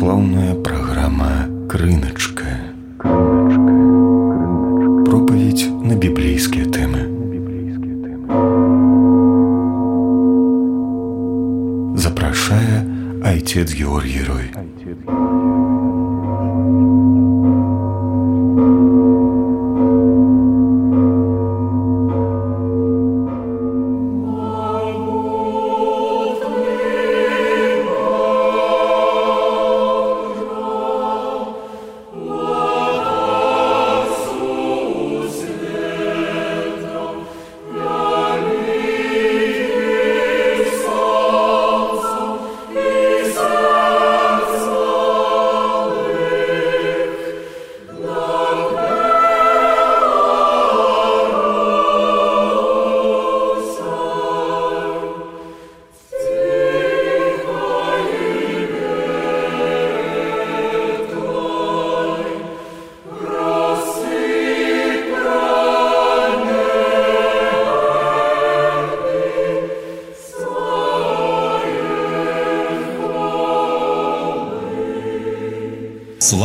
Православная программа «Крыночка». Проповедь на библейские темы. Запрашае отец Георгий Рой.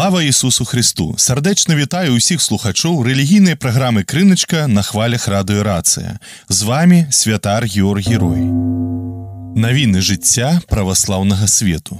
Слава Ісусу Христу! Сардечно вітаю усіх слухачоў рэлігійнай праграмы «Крыначка» на хвалях радыё «Рацыя». З вами святар Георгий Рой. Навіны жыцця праваслаўнага свету.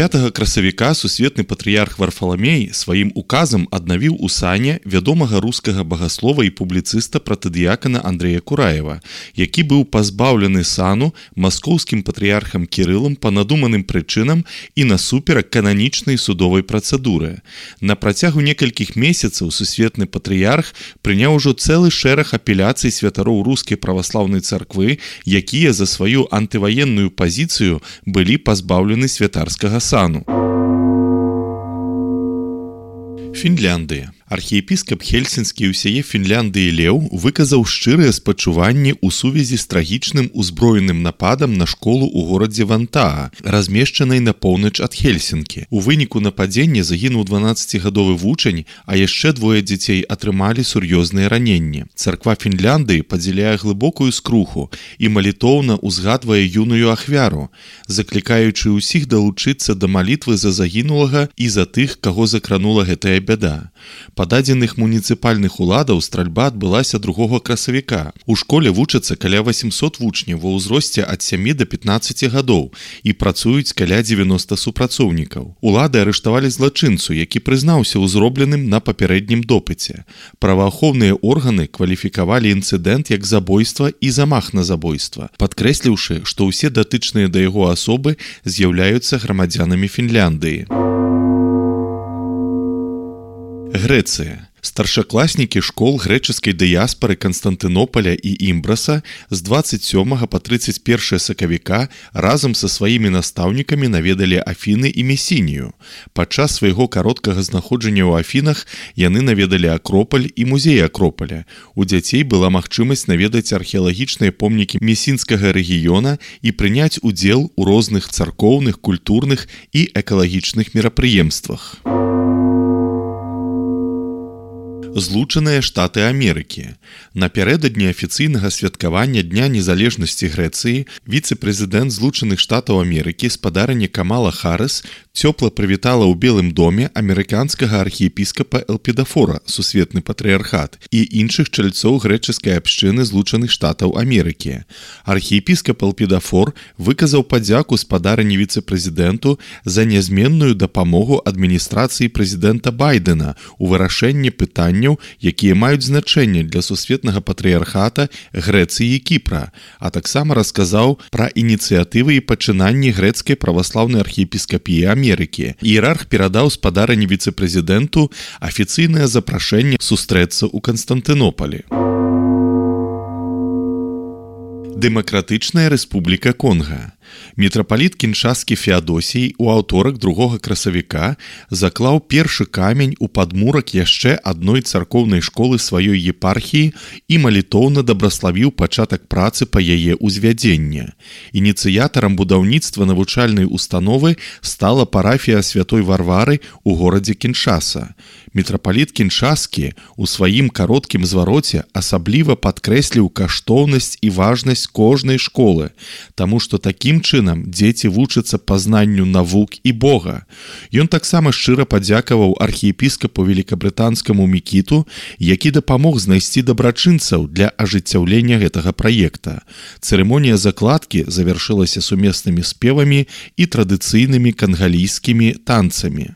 5 красавіка сусветны патрыярх Варфаламей сваім указам аднавіў у сане вядомага рускага багаслова і публіцыста пратадыякана Андрэя Кураева, які быў пазбаўлены сану маскоўскім патрыярхам Кірылам па надуманым прычынам і насуперак кананічнай судовай працэдуры. На працягу некалькіх месяцаў сусветны патрыярх прыняў ужо цэлы шэраг апеляцый святароў рускай праваслаўнай царквы, якія за сваю антываенную пазіцыю былі пазбаўлены святарскага сану. Фінляндыя. Архіепіскап Хельсінскі і ўсяе Фінляндыі Леў выказаў шчырыя спачуванні ў сувязі з трагічным узброеным нападам на школу ў горадзе Вантаа, размешчанай на поўнач ад Хельсінкі. У выніку нападзення загінуў 12-гадовы вучань, а яшчэ двое дзяцей атрымалі сур'ёзныя раненні. Царква Фінляндыі падзяляе глыбокую скруху і малітоўна ўзгадвае юную ахвяру, заклікаючы ўсіх далучыцца да малітвы за загінулага і за тых, каго закранула гэтая бяда. Па дадзеных муніцыпальных уладаў стральба адбылася 2 красавіка. У школе вучацца каля 800 вучняў ва ўзросце ад 7 до 15 гадоў і працуюць каля 90 супрацоўнікаў. Улады арыштавалі злачынцу, які прызнаўся ў зробленым на папярэднім допыце. Праваахоўныя органы кваліфікавалі інцыдэнт як забойства і замах на забойства, падкрэсліўшы, што ўсе датычныя да яго асобы з'яўляюцца грамадзянамі Фінляндыі. Грэцыя. Старшакласнікі школ грэчаскай дыяспары Канстантынополя і Імбраса з 27 па 31 сакавіка разам са сваімі настаўнікамі наведалі Афіны і Месінію. Падчас свайго кароткага знаходжання ў Афінах яны наведалі Акропаль і музей Акропаля. У дзяцей была магчымасць наведаць археалагічныя помнікі месінскага рэгіёна і прыняць удзел у розных царкоўных, культурных і экалагічных мерапрыемствах. Злучаныя Штаты Амерыкі. Напярэдадні афіцыйнага святкавання Дня незалежнасці Грэцыі віцэ-прэзідэнт Злучаных Штатаў Амерыкі спадарыня Камала Харрыс цёпла прывітала ў Белым доме амерыканскага архіепіскапа Элпідафора, сусветны патрыярхат, і іншых чальцоў грэчаскай абшчыны Злучаных Штатаў Амерыкі. Архіепіскап Элпідафор выказаў падзяку спадарыні віцэ-прэзідэнту за нязменную дапамогу адміністрацыі прэзідэнта Байдена ў вырашэнні пытанняў, якія маюць значэнне для сусветнага патрыярхата, Грэцыі і Кіпра, а таксама расказаў пра ініцыятывы і пачынанні грэцкай праваслаўнай архіепіскапіі Амерыкі. Іерарх перадаў спадарыні віцэ-прэзідэнту афіцыйнае запрашэнне сустрэцца ў Канстантынополі. Дэмакратычная Рэспубліка Конга. Мітрапаліт Кіншаскі Феадосій у аўторак 2 красавіка заклаў першы камень у падмурак яшчэ адной царкоўнай школы сваёй епархіі і малітоўна дабраславіў пачатак працы па яе ўзвядзення. Ініцыятарам будаўніцтва навучальнай установы стала парафія Святой Варвары ў горадзе Кіншаса. Мітрапаліт Кіншаскі у сваім кароткім звароце асабліва падкрэсліў каштоўнасць і важнасць кожнай школы, таму што такім чынам дзеці вучацца пазнанню навук і Бога. Ён таксама шчыра падзякаваў архіепіскапу великабрытанскаму Мікіту, які дапамог знайсці дабрачынцаў для ажыццяўлення гэтага праекта. Цырымонія закладкі завяршылася сумеснымі спевамі і традыцыйнымі кангалійскімі танцамі.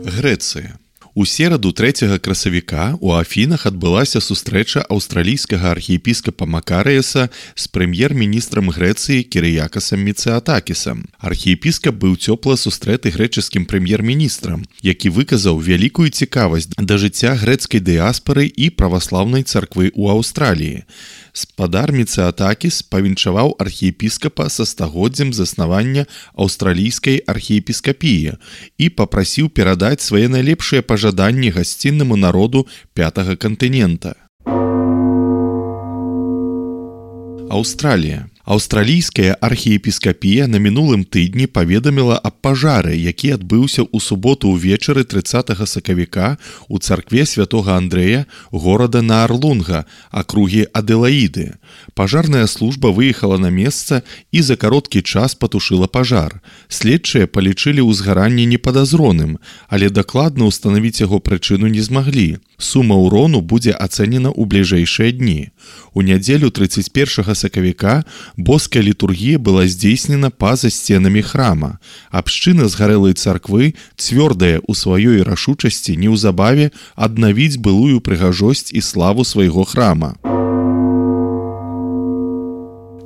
Грэцыя. У сераду 3 красавіка у Афінах адбылася сустрэча аўстралійскага архіепіскапа Макарыяса з прэм'ер-міністрам Грэцыі Кірыякасам Міцэатакісам. Архіепіскап быў цёпла сустрэты грэчаскім прэм'ер-міністрам, які выказаў вялікую цікавасць да жыцця грэцкай дыяспары і праваслаўнай царквы ў Аўстраліі. Спадар Міцэатакіс павіншаваў архіепіскапа са стагоддзям заснавання аўстралійскай архіепіскапіі і папрасіў перадаць свае найлепшыя пажаданні гасціннаму народу 5-га кантынента. Аўстралія. Аўстралійская архіепіскапія на мінулым тыдні паведаміла аб пажары, які адбыўся ў суботу ўвечары 30 сакавіка ў царкве святога Андрэя, горада Наарлунга, акругі Аделаіды. Пажарная служба выехала на месца і за кароткі час патушыла пажар. Следчыя палічылі ўзгаранне непадазроным, але дакладна ўстанавіць яго прычыну не змаглі. Сума ўрону будзе ацэнена ў бліжэйшыя дні. У нядзелю 31 сакавіка боская літургія была здзейснена па-за сценамі храма. Абшчына згарэлай царквы цвёрдая ў сваёй рашучасці неўзабаве аднавіць былую прыгажосць і славу свайго храма.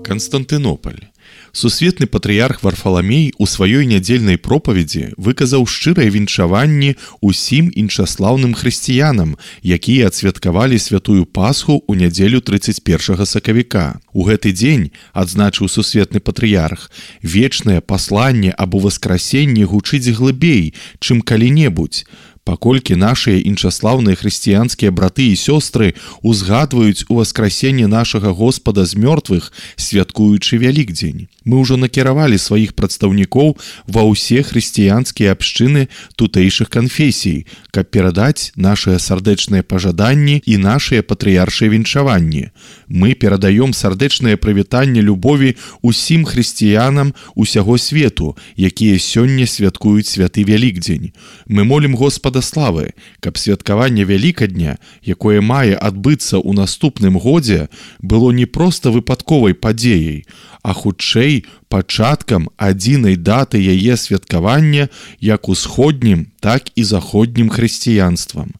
Канстантынополь. Сусветны патрыярх Варфаламей у сваёй нядзельнай пропаведзі выказаў шчырыя віншаванні ўсім іншаслаўным хрысціянам, якія адсвяткавалі святую Пасху ў нядзелю 31 сакавіка. У гэты дзень, адзначыў сусветны патрыярх, вечнае пасланне аб уваскрасенні гучыць глыбей, чым калі-небудзь. Паколькі нашыя іншаслаўныя хрысціянскія браты і сёстры узгадваюць уваскрасенне нашага Господа з мёртвых, святкуючы Вялікдзень. Мы ўжо накіравалі сваіх прадстаўнікоў ва ўсе хрысціянскія абшчыны тутэйшых канфесій, каб перадаць нашыя сардэчныя пажаданні і нашыя патрыяршыя віншаванні. Мы перадаём сардэчнае прывітанне любові ўсім хрысціянам усяго свету, якія сёння святкуюць святы Вялікдзень. Мы молім Господа славы, каб святкаванне Вялікадня, якое мае адбыцца ў наступным годзе, было не проста выпадковай падзеяй, а хутчэй пачаткам адзінай даты яе святкавання як усходнім, так і заходнім хрысціянствам.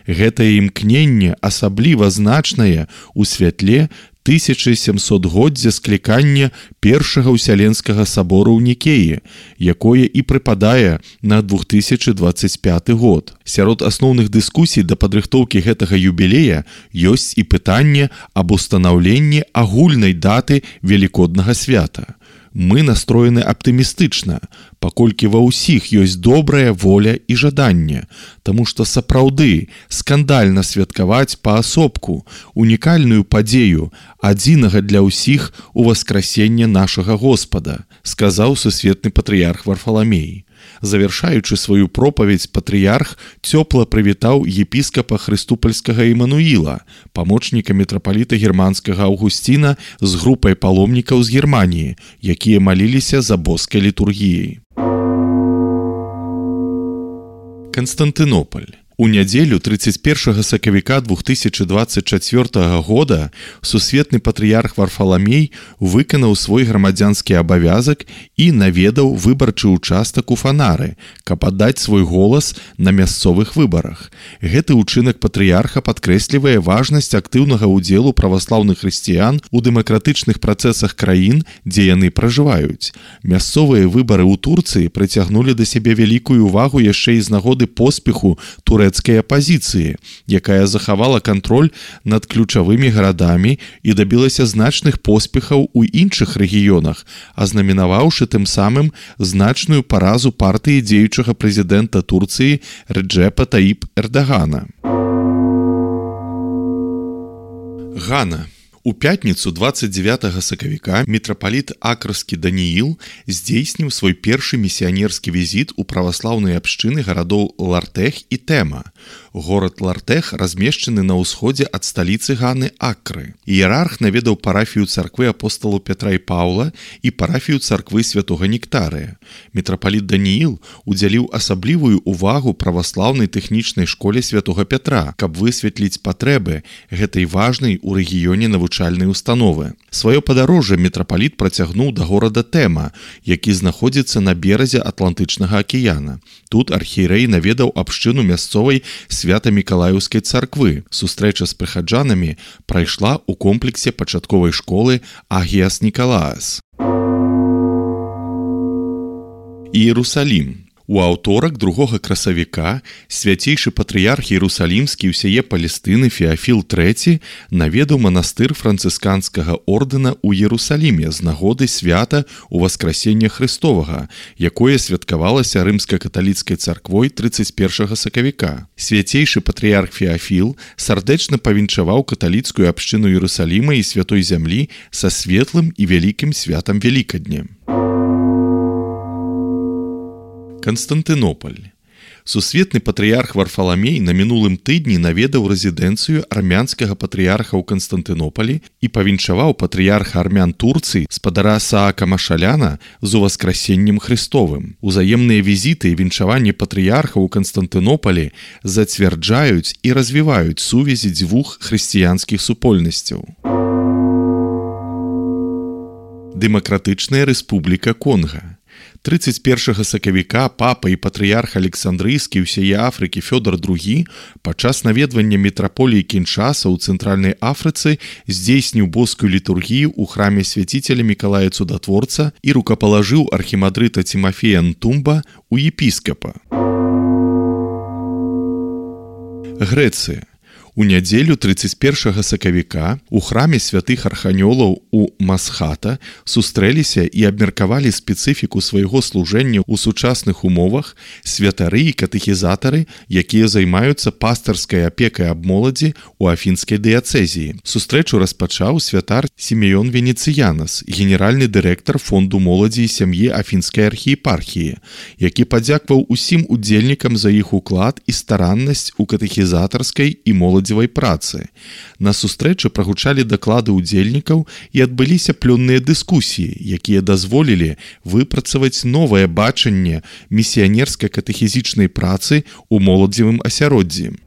Гэтае імкненне асабліва значнае ў святле 1700годдзя склікання Першага ўсяленскага сабору ў Нікеі, якое і прыпадае на 2025 год. Сярод асноўных дыскусій да падрыхтоўкі гэтага юбілея ёсць і пытанне аб устанаўленні агульнай даты Велікоднага свята. Мы настроены аптымістычна, паколькі ва ўсіх ёсць добрая воля і жаданне, таму што сапраўды скандальна святкаваць паасобку унікальную падзею, адзінага для ўсіх уваскрасення нашага Господа, сказаў сусветны патрыярх Варфаламей. Завяршаючы сваю пропаведзь, патрыярх цёпла прывітаў епіскапа Хрыступольскага Імануіла, памочніка мітрапаліта германскага Аўгусціна з групай паломнікаў з Германіі, якія маліліся за боскай літургіяй. Канстантынополь. У нядзелю 31 сакавіка 2024 года сусветны патрыярх Варфаламей выканаў свой грамадзянскі абавязак і наведаў выбарчы участак у Фанары, каб аддаць свой голас на мясцовых выбарах. Гэты ўчынак патрыярха падкрэслівае важнасць актыўнага ўдзелу праваслаўных хрысціян у дэмакратычных працэсах краін, дзе яны пражываюць. Мясцовыя выбары ў Турцыі прыцягнулі да сябе вялікую ўвагу яшчэ і з нагоды поспеху турэцкай апазіцыі, якая захавала кантроль над ключавымі гарадамі і дабілася значных поспехаў у іншых рэгіёнах, азнаменаваўшы тым самым значную паразу партыі дзеючага прэзідэнта Турцыі Реджепа Таіп Эрдагана. Гана. У пятніцу 29 сакавіка мітрапаліт Акрскі Даніїл здзейсніў свой першы місіянерскі візіт у праваслаўныя абшчыны гарадоў Лартэх і Тэма. Горад Лартэх размешчаны на ўсходзе ад сталіцы Ганы Акры. Іерарх наведаў парафію царквы апосталаў Пятра і Паўла і парафію царквы святога Нектарыя. Мітрапаліт Даніїл удзяліў асаблівую увагу праваслаўнай тэхнічнай школе святога Пятра, каб высветліць патрэбы гэтай важнай у рэгіёне навучальнай установы. Сваё падарожжа мітрапаліт працягнуў да горада Тэма, які знаходзіцца на беразе Атлантычнага акіяна. Тут архіерэй наведаў абшчыну мясцовай Свята-Мікалаеўскай царквы. Сустрэча з прыхаджанамі прайшла ў комплексе пачатковай школы Агіас Нікалаас. Іерусалім. У аўторак 2 красавіка свяцейшы патрыярх Іерусалімскі ўсяе Палестыны Феафіл III наведаў манастыр францысканскага ордэна ў Іерусаліме з нагоды свята Уваскрасення Христовага, якое святкавалася рымска-каталіцкай царквой 31 сакавіка. Свяцейшы патрыярх Феафіл сардэчна павінчаваў каталіцкую абшчыну Іерусаліма і святой зямлі са светлым і вялікім святам Велікадня. Канстантынополь. Сусветны патрыярх Варфаламей на мінулым тыдні наведаў рэзідэнцыю армянскага патрыярха ў Канстантынопалі і павінчаваў патрыярха армян Турцыі спадара Саака Машаляна з Уваскрасеннем Христовым. Узаемныя візіты і вінчаванні патрыярха ў Канстантынопалі зацвярджаюць і развіваюць сувязі дзвюх хрысціянскіх супольнасцяў. Дэмакратычная рэспубліка Конга. 31 сакавіка папа і патрыярх Александрыйскі ўсяе Афрыкі Фёдор II падчас наведвання мітраполіі Кіншаса ў Цэнтральнай Афрыцы здзейсніў боскую літургію ў храме свяціцеля Мікалая Цудатворца і рукапалажыў архімандрыта Тимофея Нтумба у епіскапа. Грэцыя. У нядзелю 31 сакавіка у храме святых арханёлаў у Масхата сустрэліся і абмеркавалі спецыфіку свайго служэння ў сучасных умовах святары і катэхізатары, якія займаюцца пастарскай апекай аб моладзі ў афінскай дыяцэзіі. Сустрэчу распачаў святар Сімеон Венецыянас, генеральны дырэктар фонду моладзі і сям'і афінскай архіепархіі, які падзякваў усім удзельнікам за іх уклад і стараннасць у катэхізатарскай і моладзі працы. На сустрэчы прагучалі даклады ўдзельнікаў і адбыліся плённыя дыскусіі, якія дазволілі выпрацаваць новае бачанне місіянерска-катэхізічнай працы ў моладзевым асяроддзі.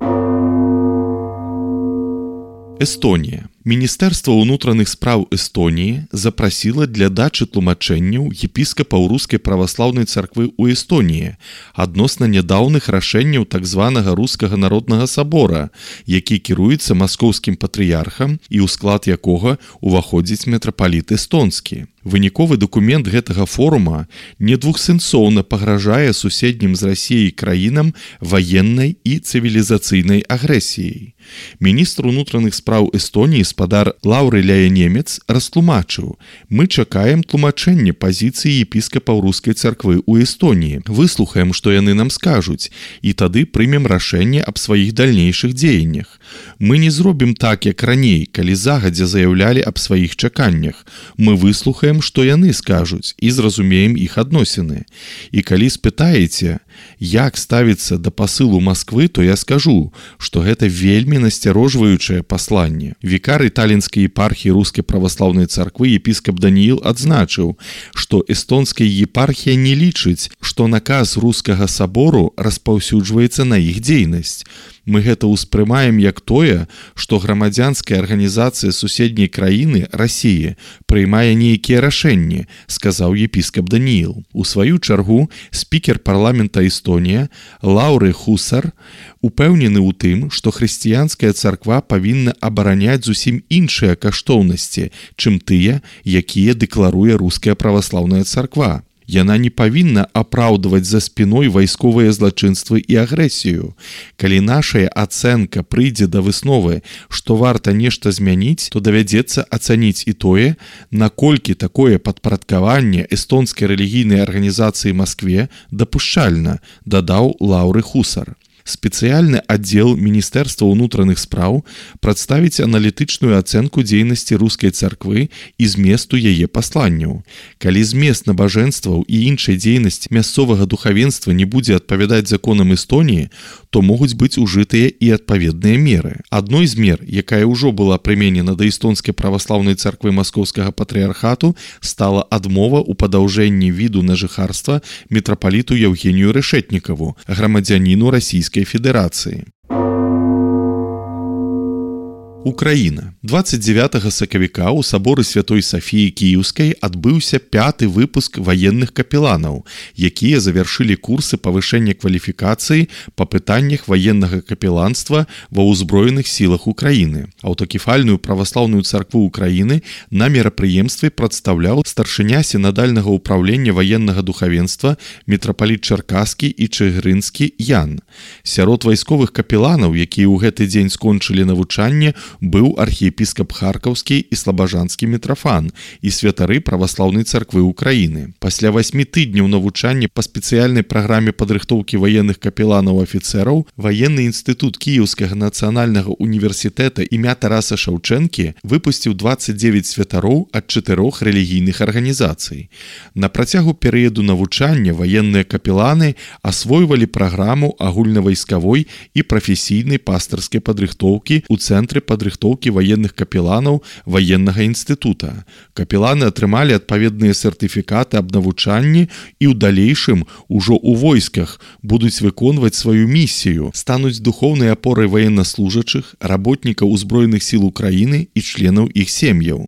Эстонія. Міністэрства ўнутраных спраў Эстоніі запрасіла для дачы тлумачэнняў епіскапаў рускай праваслаўнай царквы ў Эстоніі адносна нядаўных рашэнняў так званага рускага народнага сабора, які кіруецца маскоўскім патрыярхам і ў склад якога уваходзіць мітрапаліт эстонскі. Выніковы дакумент гэтага форума недвухсэнсоўна пагражае суседнім з Расіяй краінам ваеннай і цывілізацыйнай агрэсіяй. Міністр унутраных спраў Эстоніі спадар Лаўры Ляянемец растлумачыў: «Мы чакаем тлумачэння пазіцыі епіскапаў рускай царквы ў Эстоніі, выслухаем, што яны нам скажуць, і тады прымем рашэнне аб сваіх дальнейшых дзеяннях. Мы не зробім так, як раней, калі загадзя заяўлялі аб сваіх чаканнях. Мы выслухаем, што яны скажуць, і зразумеем іх адносіны. І калі спытаеце, як ставіцца да пасылу Масквы, то я скажу, што гэта вельмі насцярожваючае пасланне». Вікар Талінскай епархіі рускай праваслаўнай царквы епіскап Даніїл адзначыў, што эстонская епархія не лічыць, што наказ рускага сабору распаўсюджваецца на іх дзейнасць. Мы гэта ўспрымаем як тое, што грамадзянская арганізацыя суседняй краіны, Расіі, прыймае нейкія рашэнні, сказаў епіскап Даніїл. У сваю чаргу спікер парламента Эстонія Лаўры Хусар упэўнены ў тым, што хрысціянская царква павінна абараняць зусім іншыя каштоўнасці, чым тыя, якія дэкларуе руская праваслаўная царква. Яна не павінна апраўдваць за спіной вайсковыя злачынствы і агрэсію. Калі нашая ацэнка прыйдзе да высновы, што варта нешта змяніць, то давядзецца ацаніць і тое, наколькі такое падпарадкаванне эстонскай рэлігійнай арганізацыі Маскве дапушчальна, дадаў Лаўры Хусар. Спецыяльны аддзел Міністэрства ўнутраных спраў прадставіць аналітычную ацэнку дзейнасці рускай царквы і зместу яе пасланняў. Калі змест набажэнстваў і іншай дзейнасць мясцовага духавенства не будзе адпавядаць законам Эстоніі, то могуць быць ужытыя і адпаведныя меры. Адной з мер, якая ўжо была прыменена да эстонскай праваслаўнай царквы Маскоўскага патрыархату, стала адмова ў падаўжэнні віду на жыхарства мітрапаліту Евгенію Решетнікову, грамадзяніну Расійскай Федэрацыі. Украіна. 29 сакавіка ў саборы Святой Сафіі Кіеўскай адбыўся 5-ты выпуск ваенных капеланаў, якія завяршылі курсы павышэння кваліфікацыі па пытаннях ваеннага капеланства ва ўзброеных сілах Украіны. Аўтакефальную праваслаўную царкву Украіны на мерапрыемстве прадстаўляў старшыня сінадальнага ўпраўлення ваеннага духавенства мітрапаліт Чаркаскі і Чыгрынскі Ян. Сярод вайсковых капеланаў, якія ў гэты дзень скончылі навучанне, быў архіепіскап Харкаўскі і слабажанскі мітрафан і святары праваслаўнай царквы Украіны. Пасля 8 тыдняў навучання па спецыяльнай праграме падрыхтоўкі ваенных капеланаў-афіцэраў Ваенны інстытут Кіеўскага нацыянальнага універсітэта імя Тараса Шаўчэнкі выпусціў 29 святароў ад 4 рэлігійных арганізацый. На працягу перыяду навучання ваенныя капеланы асвойвалі праграму агульнавайскавой і прафесійнай пастырскай падрыхтоўкі ў цэнтры падрыхтоўкі ваенных капеланаў ваеннага інстытута. Капеланы атрымалі адпаведныя сертыфікаты аб навучанні і ў далейшым ужо ў войсках будуць выконваць сваю місію, стануць духоўнай апорай ваеннаслужачых, работнікаў узброеных сіл Украіны і членаў іх сем'яў.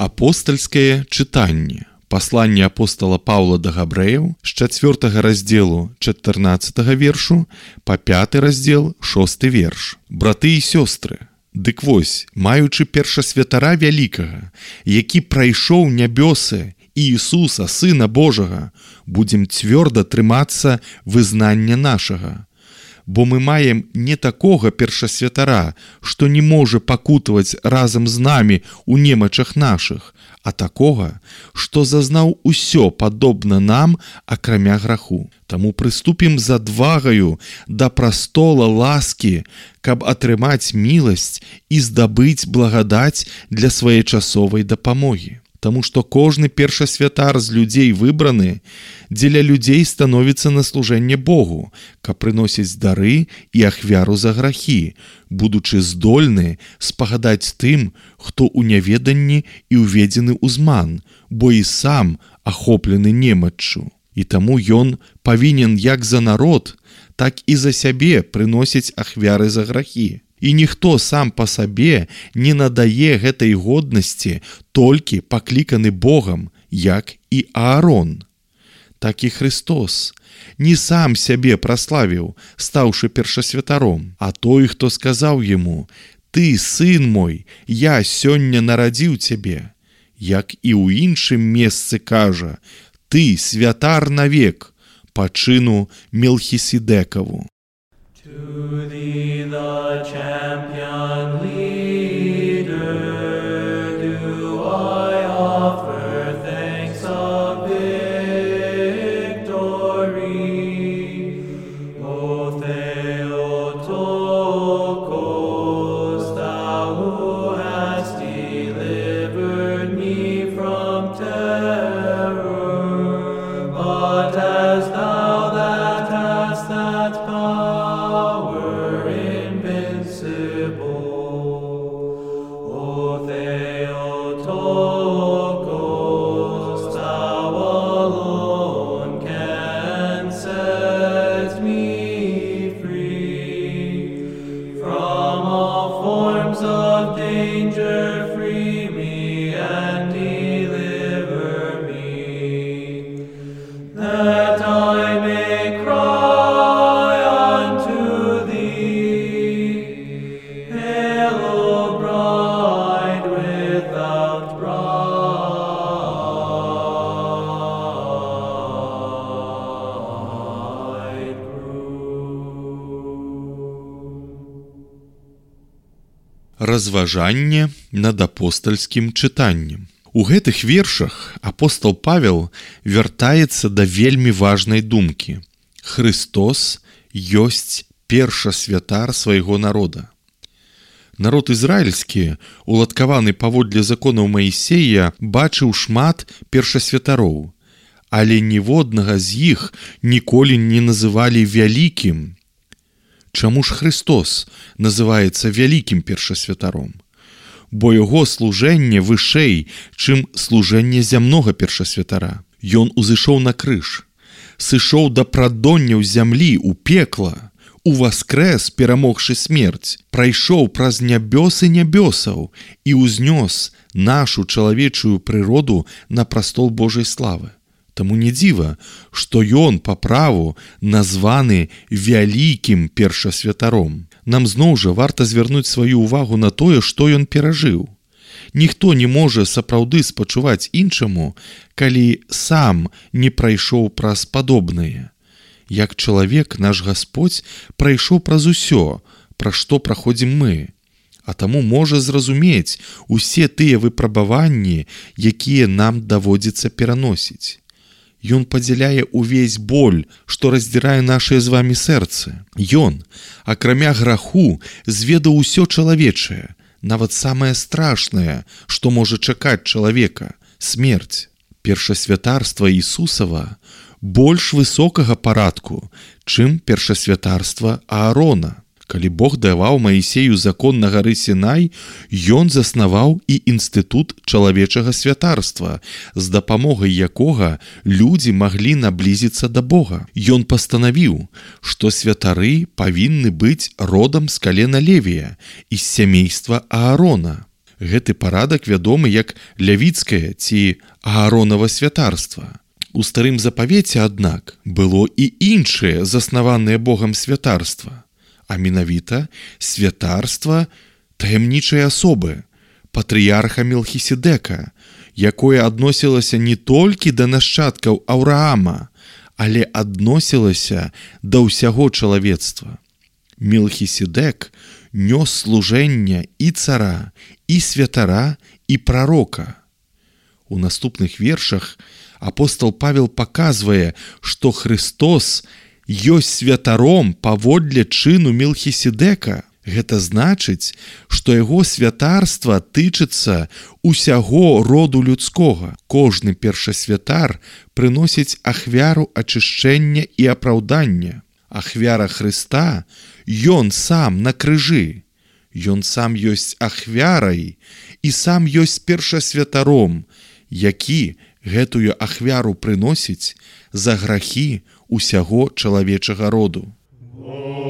Апостальскае чытанне. Пасланне апостала Паўла да габрэяў з 4 раздзелу 14 вершу па 5 раздзел 6 верш. Браты і сёстры, дык вось, маючы першасвятара вялікага, які прайшоў нябёсы Іісуса, Сына Божага, будзем цвёрда трымацца вызнання нашага. Бо мы маем не такога першасвятара, што не можа пакутаваць разам з намі ў немачах нашых, а такога, што зазнаў усё падобна нам, акрамя граху. Таму прыступім з адвагаю да прастола ласкі, каб атрымаць міласць і здабыць благадаць для своечасовай дапамогі. Таму што кожны першасвятар з людзей выбраны, дзеля людзей становіцца на служэнне Богу, каб прыносіць дары і ахвяру за грахі, будучы здольны спагадаць тым, хто ў няведанні і ўведзены ў зман, бо і сам ахоплены немаччу. І таму ён павінен як за народ, так і за сябе прыносіць ахвяры за грахі. І ніхто сам па сабе не надае гэтай годнасці, толькі пакліканы Богам, як і Аарон. Так і Христос не сам сябе праславіў, стаўшы першасвятаром, а той, хто сказаў яму: «Ты, сын мой, я сёння нарадзіў цябе», як і ў іншым месцы кажа: «Ты святар навек па чыну Мелхіседекаву». To thee, the champion leader, do I offer thanks of victory. O Theotokos, thou who hast delivered me from terror by of danger, free me and deliver me, that I may cry unto thee, Hail, O bride without bridegroom. Разважанне над апостальскім чытаннем. У гэтых вершах апостол Павел вяртаецца да вельмі важнай думкі. Христос ёсць першасвятар свайго народа. Народ ізраільскі, уладкаваны паводле законаў Маісея, бачыў шмат першасвятароў, але ніводнага з іх ніколі не называлі вялікім. Чаму ж Христос называецца вялікім першасвятаром? Бо яго служэнне вышэй, чым служэнне зямнога першасвятара. Ён узышоў на крыж, сышоў да прадонняў зямлі ў пекла, уваскрэс, перамогшы смерць, прайшоў праз нябёсы нябёсаў і ўзнёс нашу чалавечую прыроду на прастол Божай славы. Таму не дзіва, што ён па праву названы вялікім першасвятаром. Нам зноў жа варта звярнуць сваю ўвагу на тое, што ён перажыў. Ніхто не можа сапраўды спачуваць іншаму, калі сам не прайшоў праз падобнае. Як чалавек, наш Гасподзь прайшоў праз усё, пра што праходзім мы, а таму можа зразумець усе тыя выпрабаванні, якія нам даводзіцца пераносіць. Ён падзяляе ўвесь боль, што раздзірае нашыя з вамі сэрцы. Ён, акрамя граху, зведаў усё чалавечае, нават самае страшнае, што можа чакаць чалавека – смерць. Першасвятарства Ісусава больш высокага парадку, чым першасвятарства Аарона. Калі Бог даваў Маісею закон на гары Сінай, ён заснаваў і інстытут чалавечага святарства, з дапамогай якога людзі маглі наблізіцца да Бога. Ён пастанавіў, што святары павінны быць родам з калена Левія і з сямейства Аарона. Гэты парадак вядомы як лявіцкае ці Ааронава святарства. У старым запавеце, аднак, было і іншае заснаванае Богам святарства, а менавіта святарства таямнічай асобы, патрыярха Мелхіседека, якое адносілася не толькі да нашчадкаў Аўраама, але адносілася да ўсяго чалавецтва. Мелхіседек нёс служэнне і цара, і святара, і прарока. У наступных вершах апостол Павел паказвае, што Христос ёсць святаром паводле чыну Мелхіседека. Гэта значыць, што яго святарства тычыцца усяго роду людскога. Кожны першасвятар прыносіць ахвяру ачышчэння і апраўдання. Ахвяра Хрыста – ён сам на крыжы. Ён сам ёсць ахвярай і сам ёсць першасвятаром, які гэтую ахвяру прыносіць за грахі усяго чалавечага роду. Whoa.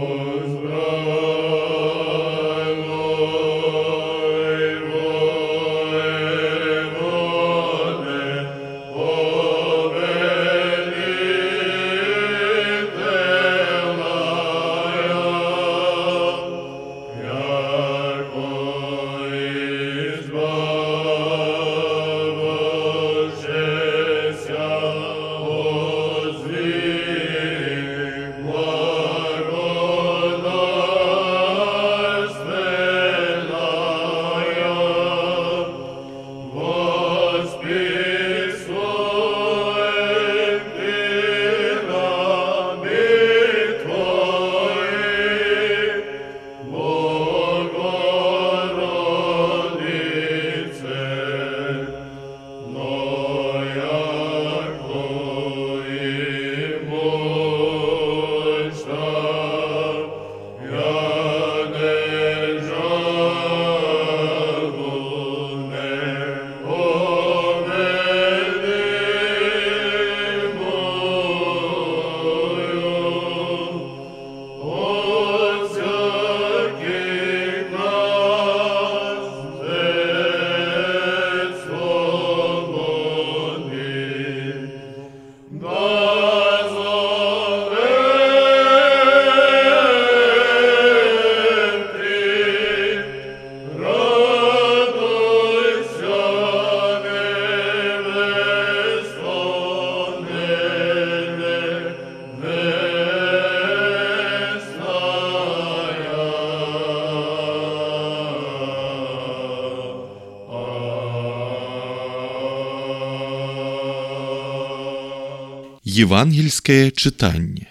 Евангельскае чытанне.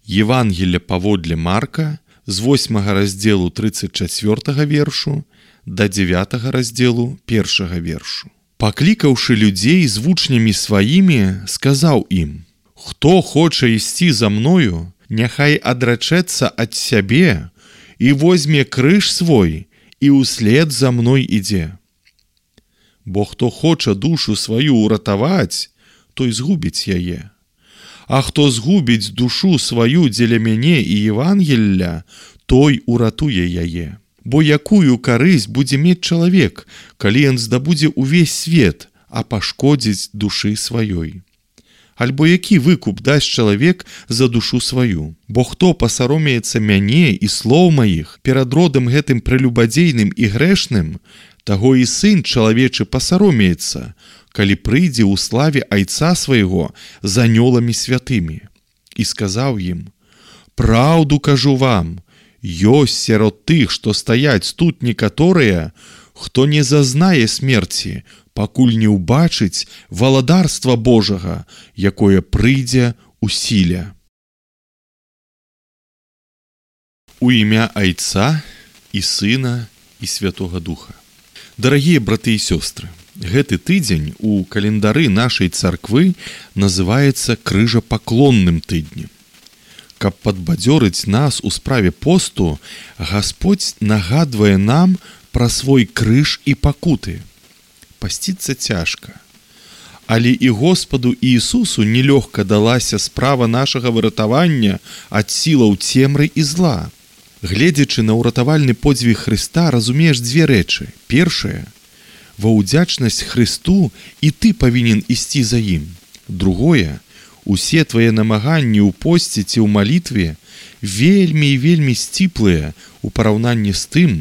Евангелие паводле Марка з 8 раздзелу 34 вершу да 9 раздзелу 1 вершу. Паклікаўшы людзей з вучнямі сваімі, сказаў ім: «Хто хоча ісці за мною, няхай адрачэцца ад сябе і возьме крыж свой і ўслед за мной ідзе. Бо хто хоча душу сваю ўратаваць, той згубіць яе. А хто згубіць душу сваю дзеля мяне і Евангелля, той уратуе яе. Бо якую карысць будзе мець чалавек, калі ён здабудзе ўвесь свет, а пашкодзіць душы сваёй? Альбо які выкуп дасць чалавек за душу сваю? Бо хто пасаромеецца мяне і слоў маіх перад родам гэтым прелюбадзейным і грэшным, таго і сын чалавечы пасаромеецца, калі прыйдзе ў славе айца свайго з анёламі святымі». І сказаў ім: «Праўду кажу вам, ёсць сярод тых, што стаяць тут некаторыя, хто не зазнае смерці, пакуль не ўбачыць валадарства Божага, якое прыйдзе ў сіле». У імя Айца і Сына і Святога Духа. Дарагія браты і сёстры, гэты тыдзень у календары нашай царквы называецца крыжапаклонным тыднем. Каб падбадзёрыць нас у справе посту, Гасподзь нагадвае нам пра свой крыж і пакуты. Пасціцца цяжка. Але і Господу Іісусу нелёгка далася справа нашага выратавання ад сілаў цемры і зла. Гледзячы на ўратавальны подзвіг Хрыста, разумееш дзве рэчы. Першае, ва ўдзячнасць Хрысту і ты павінен ісці за ім. Другое, усе твае намаганні ў посце ці ў малітве вельмі і вельмі сціплыя ў параўнанні з тым,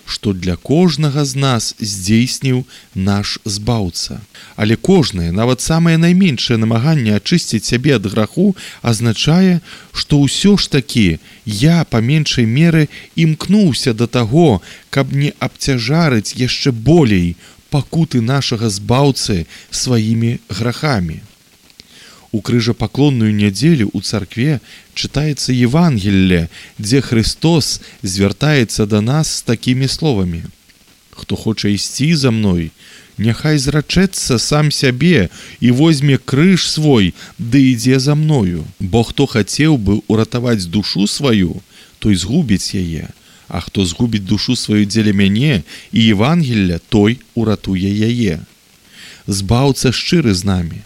што для кожнага з нас здзейсніў наш Збаўца. Але кожнае, нават самае найменшае намаганне ачысціць сябе ад граху азначае, што ўсё ж такі я па меншай меры імкнуўся да таго, каб не абцяжарыць яшчэ болей пакуты нашага Збаўцы сваімі грахамі. У крыжапаклонную нядзелю ў царкве чытаецца Евангелле, дзе Христос звяртаецца да нас з такімі словамі: «Хто хоча ісці за мной, няхай зрачэцца сам сябе і возьме крыж свой, ды ідзе за мною. Бо хто хацеў бы ўратаваць душу сваю, той згубіць яе, а хто згубіць душу сваю дзеля мяне і Евангелля, той уратуе яе». Збаўца шчыры з намі.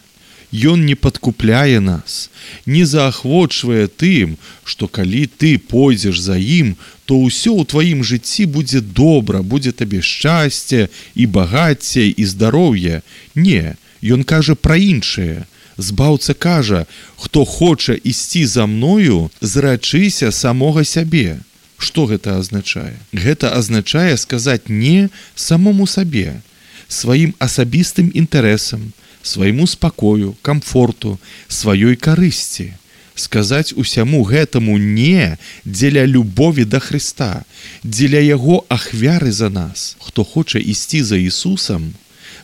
Ён не падкупляе нас, не заахвочвае тым, што калі ты пойдзеш за ім, то ўсё ў тваім жыцці будзе добра, будзе табе шчасце і багацце і здароўе. Не, ён кажа пра іншае. Збаўца кажа: «Хто хоча ісці за мною, зрачыся самога сябе». Што гэта азначае? Гэта азначае сказаць «не» самому сабе, сваім асабістым інтарэсам, свайму спакою, камфорту, сваёй карысці. Сказаць усяму гэтаму «не» дзеля любові да Хрыста, дзеля яго ахвяры за нас. Хто хоча ісці за Ісусам,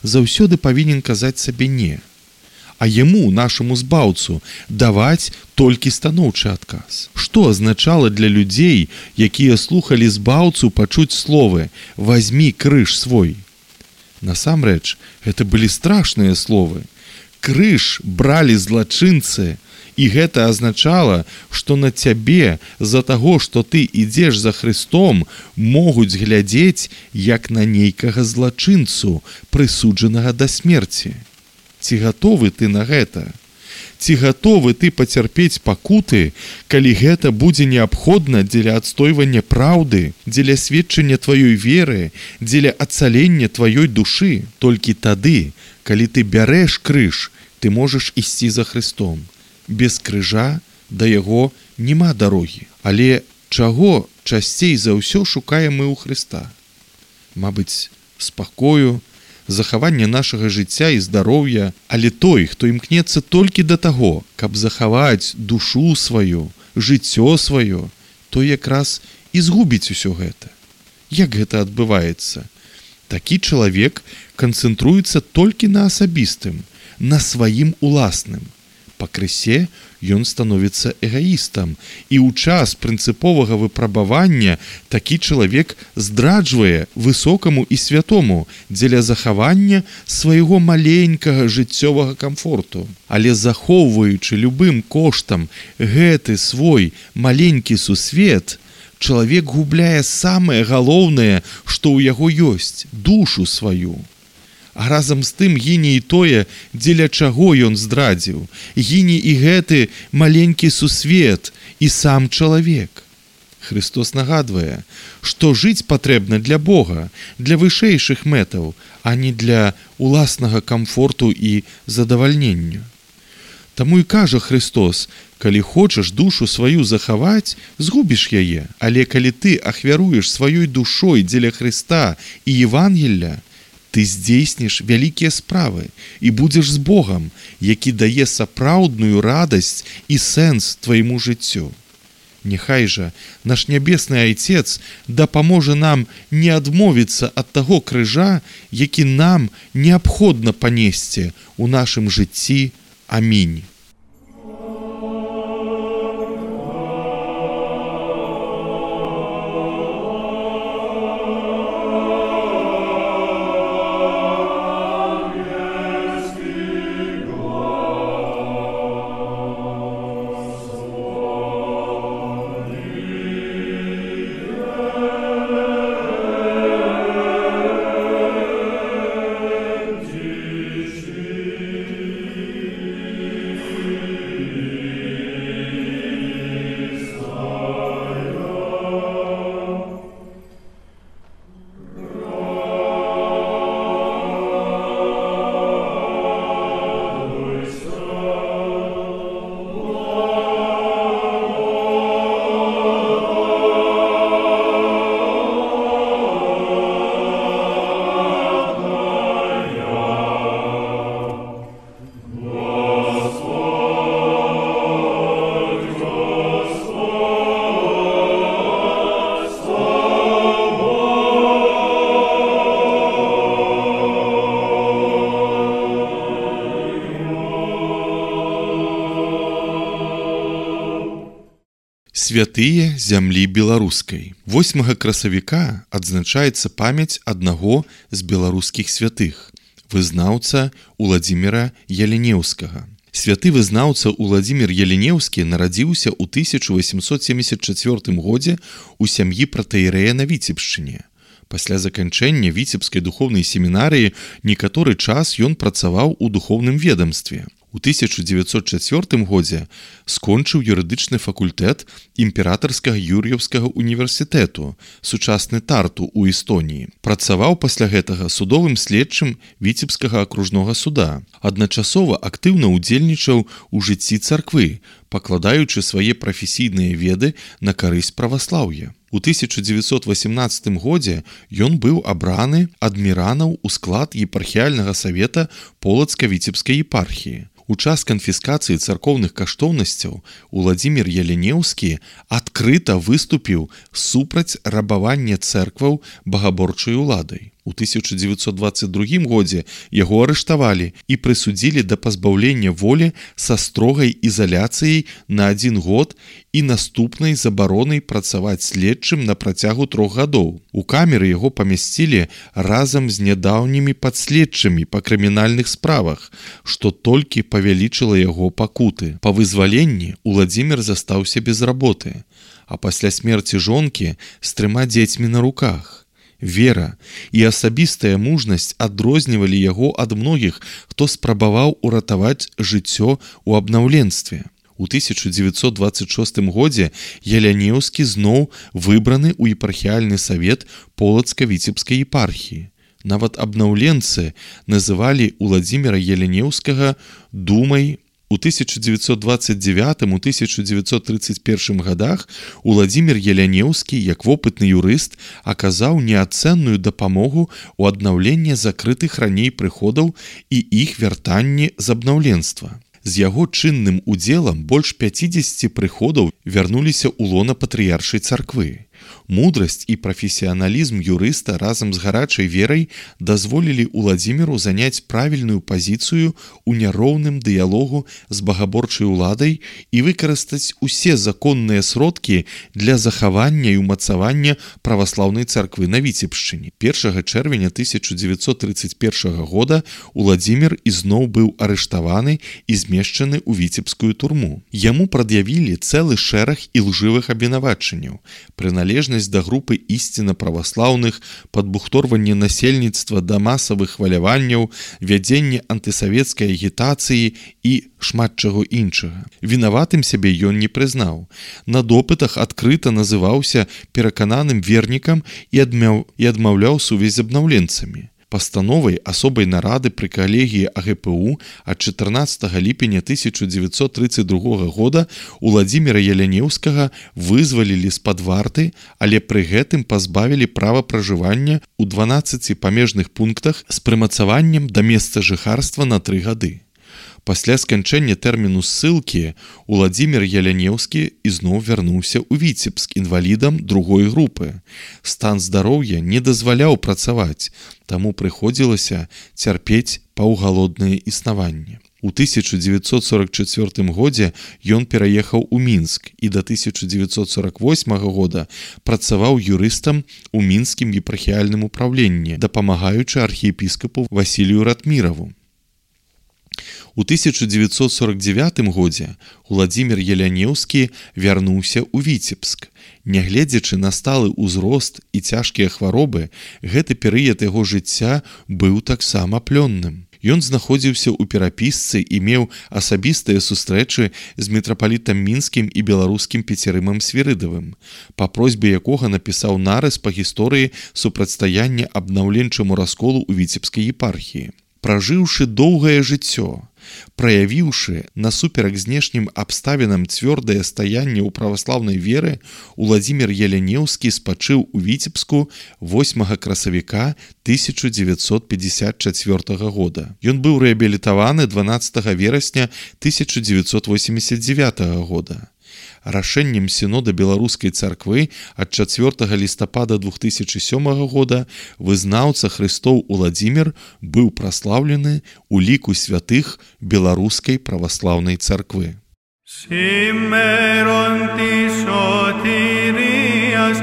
заўсёды павінен казаць сабе «не». А яму, нашаму Збаўцу, даваць толькі станоўчы адказ. Што азначала для людзей, якія слухалі Збаўцу, пачуць словы «Вазьмі крыж свой»? Насамрэч, гэта былі страшныя словы. Крыж бралі злачынцы, і гэта азначала, што на цябе з-за таго, што ты ідзеш за Христом, могуць глядзець як на нейкага злачынцу, прысуджанага да смерці. Ці гатовы ты на гэта? Ці гатовы ты пацярпець пакуты, калі гэта будзе неабходна дзеля адстойвання праўды, дзеля сведчання тваёй веры, дзеля ацалення тваёй душы? Толькі тады, калі ты бярэш крыж, ты можаш ісці за Христом. Без крыжа да яго няма дарогі. Але чаго часцей за ўсё шукаем мы ў Хрыста? Мабыць, спакою, захаванне нашага жыцця і здароўя, але той, хто імкнецца толькі да таго, каб захаваць душу сваю, жыццё сваё, то якраз і згубіць усё гэта. Як гэта адбываецца? Такі чалавек канцэнтруецца толькі на асабістым, на сваім уласным. Пакрысе ён становіцца эгаістам, і ў час прынцыповага выпрабавання такі чалавек здраджвае высокаму і святому дзеля захавання свайго маленькага жыццёвага камфорту. Але захоўваючы любым коштам гэты свой маленькі сусвет, чалавек губляе самае галоўнае, што ў яго ёсць – душу сваю. А разам з тым гіне і тое, дзеля чаго ён здрадзіў. Гіне і гэты маленькі сусвет, і сам чалавек. Христос нагадвае, што жыць патрэбна для Бога, для вышэйшых мэтаў, а не для уласнага камфорту і задавальнення. Таму і кажа Христос, калі хочаш душу сваю захаваць, згубіш яе, але калі ты ахвяруеш сваёй душой дзеля Христа і Евангелля, ты здзейсніш вялікія справы і будзеш з Богам, які дае сапраўдную радасць і сэнс твайму жыццю. Няхай жа наш нябесны Айцец дапаможа нам не адмовіцца ад таго крыжа, які нам неабходна панесці ў нашым жыцці. Амінь. Святыя зямлі беларускай. 8 красавіка адзначаецца памяць аднаго з беларускіх святых, вызнаўца Уладзіміра Ялінеўскага. Святы вызнаўца Уладзімір Ялінеўскі нарадзіўся ў 1874 годзе ў сям'і пратэірэя на Віцебшчыне. Пасля заканчэння Віцебскай духоўнай семінарыі некаторы час ён працаваў у духоўным ведамстве. У 1904 годзе скончыў юрыдычны факультэт імператарскага Юр'еўскага універсітэту, сучасны Тарту ў Эстоніі. Працаваў пасля гэтага судовым следчым Віцебскага акружнога суда. Адначасова актыўна ўдзельнічаў у жыцці царквы, пакладаючы свае прафесійныя веды на карысць праваслаўя. У 1918 годзе ён быў абраны адміранаў у склад епархіяльнага савета Полацка-Віцебскай епархіі. У час канфіскацыі царкоўных каштоўнасцяў Уладзімір Ялінеўскі адкрыта выступіў супраць рабавання цэркваў багаборчай уладай. У 1922 годзе яго арыштавалі і прысудзілі да пазбаўлення волі са строгай ізаляцыяй на 1 год і наступнай забаронай працаваць следчым на працягу 3 гадоў. У камеры яго памясцілі разам з нядаўнімі падследчымі па крымінальных справах, што толькі павялічыла яго пакуты. Па вызваленні Уладзімір застаўся без работы, а пасля смерці жонкі з 3 дзецьмі на руках. Вера і асабістая мужнасць адрознівалі яго ад многіх, хто спрабаваў уратаваць жыццё ў абнаўленстве. У 1926 годзе Ялінеўскі зноў выбраны ў епархіяльны савет Полацка-Віцебскай епархіі. Нават абнаўленцы называлі Уладзіміра Ялінеўскага думай. У 1929-1931 годах Уладзімір Ялінеўскі, як вопытны юрыст, аказаў неацэнную дапамогу ў аднаўленні закрытых раней прыходаў і іх вяртанні з абнаўленства. З яго чынным удзелам больш 50 прыходаў вярнуліся ў лона патрыяршай царквы. Мудрасць і прафесіяналізм юрыста разам з гарачай верай дазволілі Уладзіміру заняць правільную пазіцыю ў няроўным дыялогу з багаборчай уладай і выкарыстаць усе законныя сродкі для захавання і ўмацавання праваслаўнай царквы на Віцебшчыне. 1 чэрвеня 1931 года Уладзімір ізноў быў арыштаваны і змешчаны ў віцебскую турму. Яму прад'явілі цэлы шэраг ілжывых абвінавачанняў: прыналежнасць да групы ісціна праваслаўных, падбухторванне насельніцтва да масавых хваляванняў, вядзенне антысавецкай агітацыі і шмат чаго іншага. Вінаватым сябе ён не прызнаў. На допытах адкрыта называўся перакананым вернікам і адмаўляў сувязь з абнаўленцамі. Пастановай асобай нарады пры калегіі АГПУ ад 14 ліпеня 1932 года Уладзіміра Ялянеўскага вызвалілі з-пад варты, але пры гэтым пазбавілі права пражывання ў 12 памежных пунктах з прымацаваннем да месца жыхарства на 3 гады. Пасля сканчэння тэрміну ссылкі Уладзімір Ялянеўскі ізноў вярнуўся ў Віцебск інвалідам другой групы. Стан здароўя не дазваляў працаваць, таму прыходзілася цярпець паўгалоднае існаванне. У 1944 годзе ён пераехаў у Мінск і да 1948 года працаваў юрыстам у мінскім епархіяльным упраўленні, дапамагаючы архіепіскапу Васілію Ратміраву. У 1949 годзе Уладзімір Ялянеўскі вярнуўся ў Віцебск. Нягледзячы на сталы ўзрост і цяжкія хваробы, гэты перыяд яго жыцця быў таксама плённым. Ён знаходзіўся ў перапісцы і меў асабістыя сустрэчы з мітрапалітам мінскім і беларускім Пецерымам Свірыдавым, па просьбе якога напісаў нарыс па гісторыі супрацьстаяння абнаўленчаму расколу ў Віцебскай епархіі. Пражыўшы доўгае жыццё, праявіўшы насуперак знешнім абставінам цвёрдае стаянне ў праваслаўнай веры, Уладзімір Ялянеўскі спачыў у Віцебску 8 красавіка 1954 года. Ён быў рэабілітаваны 12 верасня 1989 года. Рашэннем сінода беларускай царквы ад 4 лістапада 2007 года вызнаўца Христоў Уладзімір быў праслаўлены ў ліку святых беларускай праваслаўнай царквы. Σήμερον της σωτηρίας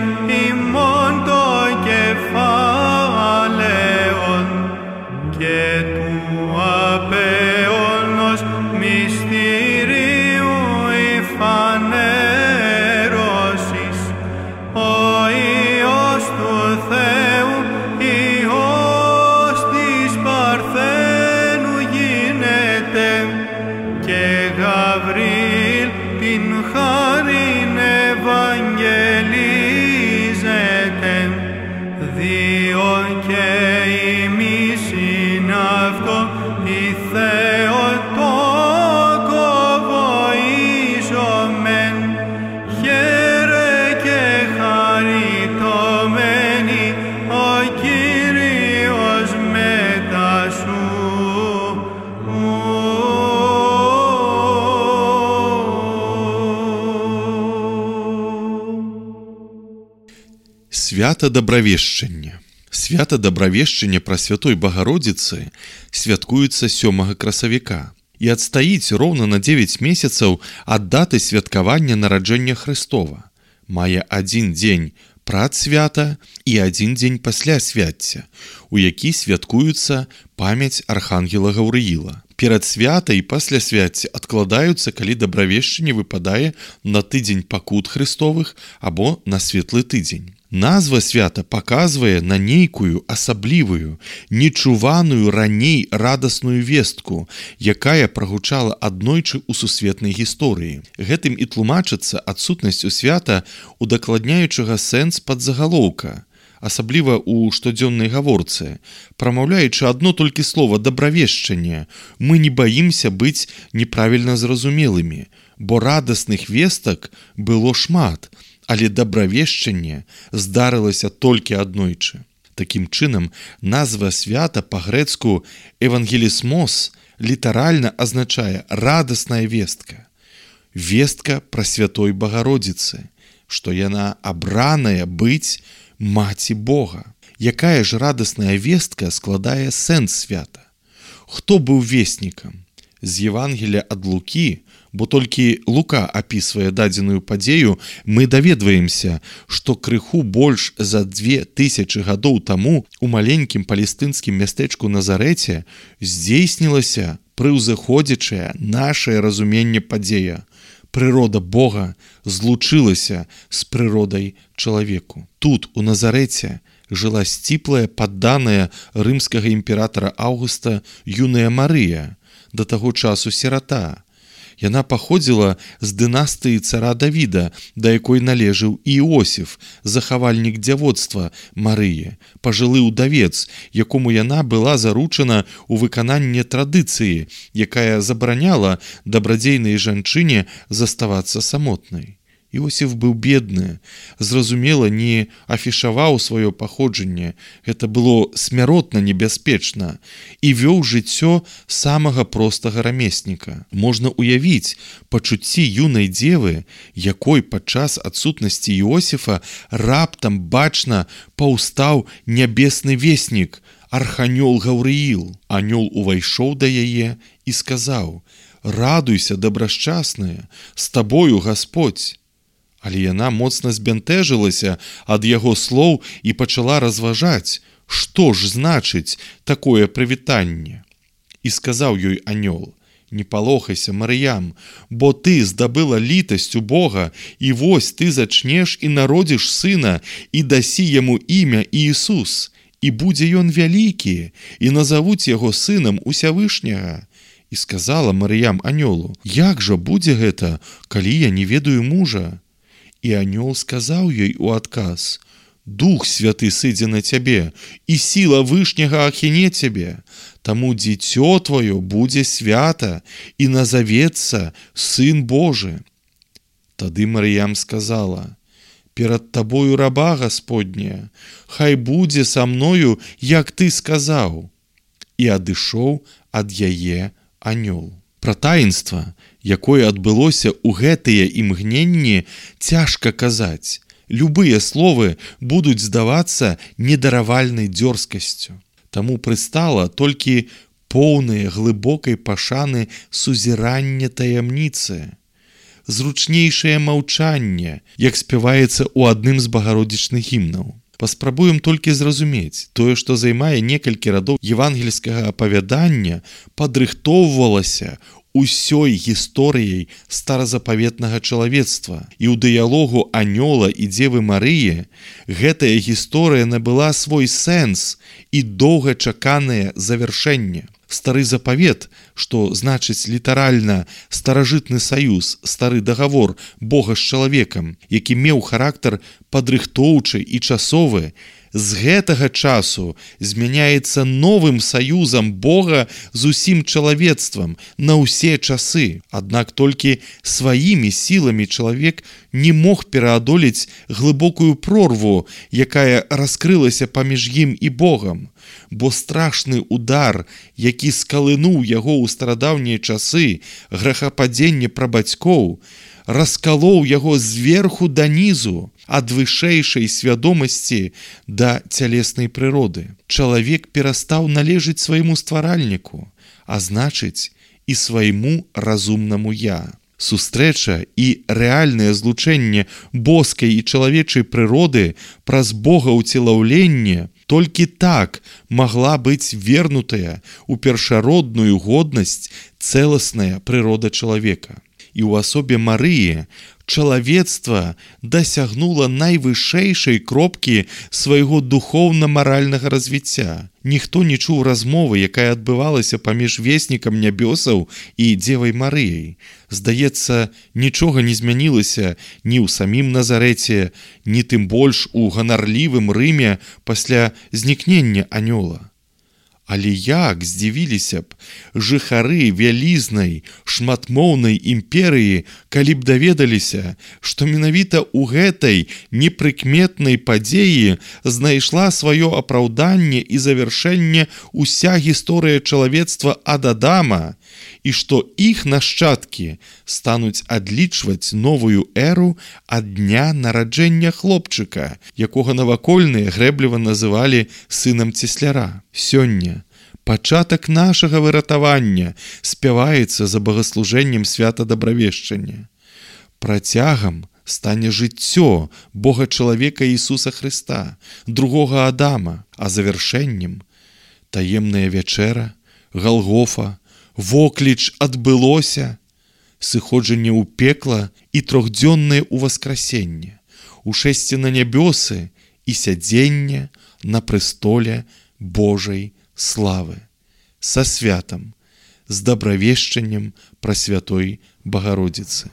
ημών το κεφάλαιον και του απέωνος μυστηρίου φανέρωσης, ο Υιός του Θεού, Υιός της Παρθένου γίνεται, και Γαβρίλ την χάριν ευαγγελίζεται, διό και ημίσιν αυτό η Θεοτόκο βοήσομεν, χαίρε και χαριτωμένη ο Κύριος μετά σου. Свята Дабравешчання. Свята Дабравешчання Прасвятой Багародзіцы святкуецца 7 красавіка і адстаіць роўна на 9 месяцаў ад даты святкавання нараджэння Хрыстова. Мае адзін дзень прад свята і адзін дзень пасля свяцця, у які святкуецца памяць архангела Гаўрыіла. Перад свята і пасля свяцця адкладаюцца, калі Дабравешчанне выпадае на тыдзень пакут Христовых або на светлы тыдзень. Назва свята паказвае на нейкую асаблівую, нечуваную раней радасную вестку, якая прагучала аднойчы ў сусветнай гісторыі. Гэтым і тлумачыцца адсутнасць у свята удакладняючага сэнс падзагалоўка, асабліва ў штодзённай гаворцы. Прамаўляючы адно толькі слова «дабравешчанне», мы не баімся быць неправільна зразумелымі, бо радасных вестак было шмат, але дабравешчанне здарылася толькі аднойчы. Такім чынам, назва свята па-грэцку «евангелісмос» літаральна азначае «радасная вестка». Вестка Прасвятой Багародзіцы, што яна абраная быць маці Бога. Якая ж радасная вестка складае сэнс свята? Хто быў веснікам? З Евангелія ад Лукі, бо толькі Лука апісвае дадзеную падзею, мы даведваемся, што крыху больш за 2000 гадоў таму у маленькім палестынскім мястэчку Назарэце здзейснілася прыўзыходзячае нашае разуменне падзея. Прырода Бога злучылася з прыродай чалавеку. Тут, у Назарэце, жыла сціплая падданая рымскага імператара Аўгуста юная Марыя, да таго часу сірата. Яна паходзіла з дынастыі цара Давіда, да якой належаў і Іосіф, захавальнік дзявоцтва Марыі, пажылы ўдавец, якому яна была заручана ў выкананні традыцыі, якая забараняла дабрадзейнай жанчыне заставацца самотнай. Іосіф быў бедны, зразумела, не афішаваў сваё паходжанне, гэта было смяротна небяспечна, і вёў жыццё самага простага рамесніка. Можна ўявіць пачуцці юнай дзевы, якой падчас адсутнасці Іосіфа раптам бачна паўстаў нябесны веснік, арханёл Гаўрыіл. Анёл увайшоў да яе і сказаў: «Радуйся, дабрашчасная, з табою Гасподзь». Але яна моцна збянтэжылася ад яго слоў і пачала разважаць, што ж значыць такое прывітанне. І сказаў ёй анёл: «Не палохайся, Марыям, бо ты здабыла літасць у Бога, і вось ты зачнеш і народзіш сына, і дасі яму імя Іісус, і будзе ён вялікі, і назавуць яго сынам Усявышняга». І сказала Марыям анёлу: «Як жа будзе гэта, калі я не ведаю мужа?» І анёл сказаў ёй у адказ: «Дух Святы сыдзе на цябе, і сіла Вышняга ахіне цябе, таму дзіцё тваё будзе свята, і назавецца Сын Божы». Тады Марыям сказала: «Перад табою раба Гасподняя, хай будзе са мною, як ты сказаў». І адышоў ад яе анёл. Пра таінства, якое адбылося ў гэтыя імгненні, цяжка казаць. Любыя словы будуць здавацца недаравальнай дзёрзкасцю. Таму прыстала толькі поўнае глыбокай пашаны сузіранне таямніцы. Зручнейшае маўчанне, як спяваецца ў адным з багародзічных гімнаў. Паспрабуем толькі зразумець, тое, што займае некалькі радоў евангельскага апавядання, падрыхтоўвалася усёй гісторыяй старазапаветнага чалавецтва. І ў дыялогу анёла і дзевы Марыі гэтая гісторыя набыла свой сэнс і доўгачаканае завяршэнне. Стары запавет, што значыць літаральна старажытны саюз, стары дагавор Бога з чалавекам, які меў характар падрыхтоўчы і часовы, з гэтага часу змяняецца новым саюзам Бога з усім чалавецтвам на ўсе часы. Аднак толькі сваімі сіламі чалавек не мог пераадолець глыбокую прорву, якая раскрылася паміж ім і Богам. Бо страшны удар, які скалынуў яго ў старадаўнія часы, грэхападзенне прабацькоў, раскалоў яго зверху да нізу, ад вышэйшай свядомасці да цялеснай прыроды. Чалавек перастаў належыць свайму стваральніку, а значыць і свайму разумнаму я. Сустрэча і рэальнае злучэнне боскай і чалавечай прыроды праз богаўцелаўленне толькі так магла быць вернутая ў першародную годнасць цэласная прырода чалавека. І ў асобе Марыі чалавецтва дасягнула найвышэйшай кропкі свайго духоўна-маральнага развіцця. Ніхто не чуў размовы, якая адбывалася паміж веснікам нябёсаў і дзевай Марыяй. Здаецца, нічога не змянілася ні ў самім Назарэце, ні тым больш у ганарлівым Рыме пасля знікнення анёла. Але як здзівіліся б жыхары вялізнай, шматмоўнай імперыі, калі б даведаліся, што менавіта ў гэтай непрыкметнай падзеі знайшла сваё апраўданне і завяршэнне ўся гісторыя чалавецтва ад Адама і што іх нашчадкі стануць адлічваць новую эру ад дня нараджэння хлопчыка, якога навакольныя грэбліва называлі сынам цесляра. Сёння пачатак нашага выратавання спяваецца за багаслужэннем свята дабравешчання. Працягам стане жыццё Бога-чалавека Ісуса Хрыста, другога Адама, а завяршэннем таемная вячэра, Галгофа, вокліч адбылося, сыходжанне ў пекла і трохдзённае ўваскрасенне, ушэсце на нябёсы і сядзенне на прэстоле Божай славы. Са святам, з дабравешчаннем Прасвятой Багародзіцы.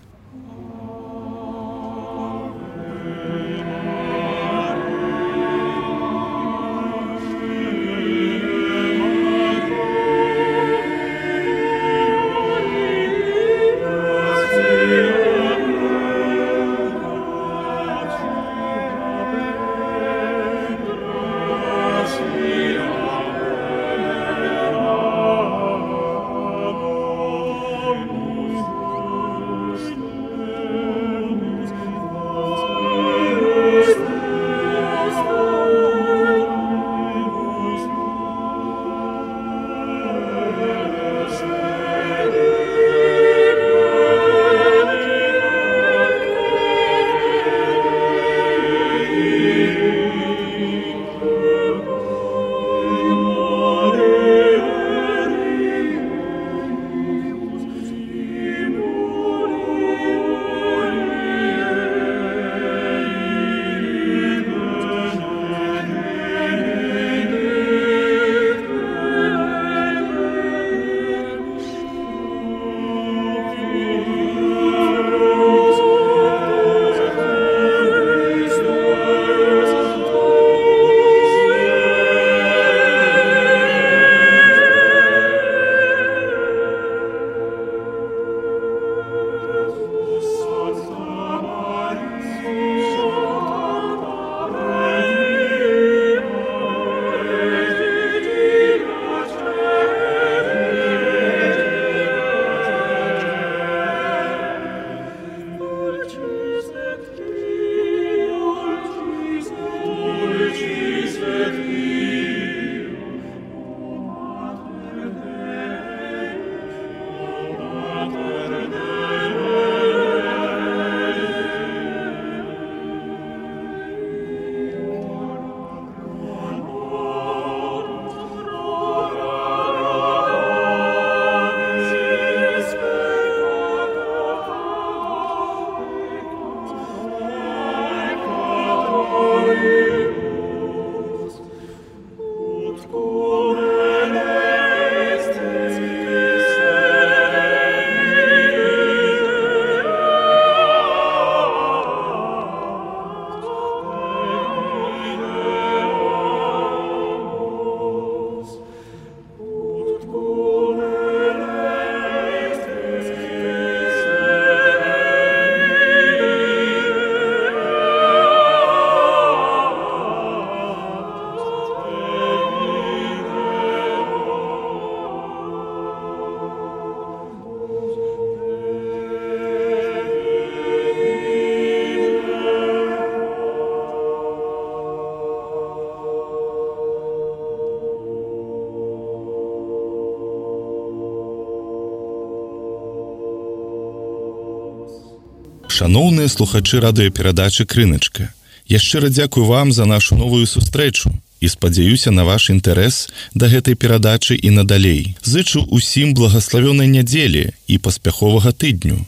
Шаноўныя слухачы радыёперадачы «Крыначка», я шчыра дзякую вам за нашу новую сустрэчу і спадзяюся на ваш інтарэс да гэтай перадачы і надалей. Зычу усім благаславёнай нядзелі і паспяховага тыдню.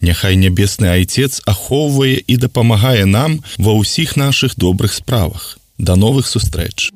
Няхай нябесны Айцец ахоўвае і дапамагае нам ва ўсіх нашых добрых справах. Да новых сустрэч!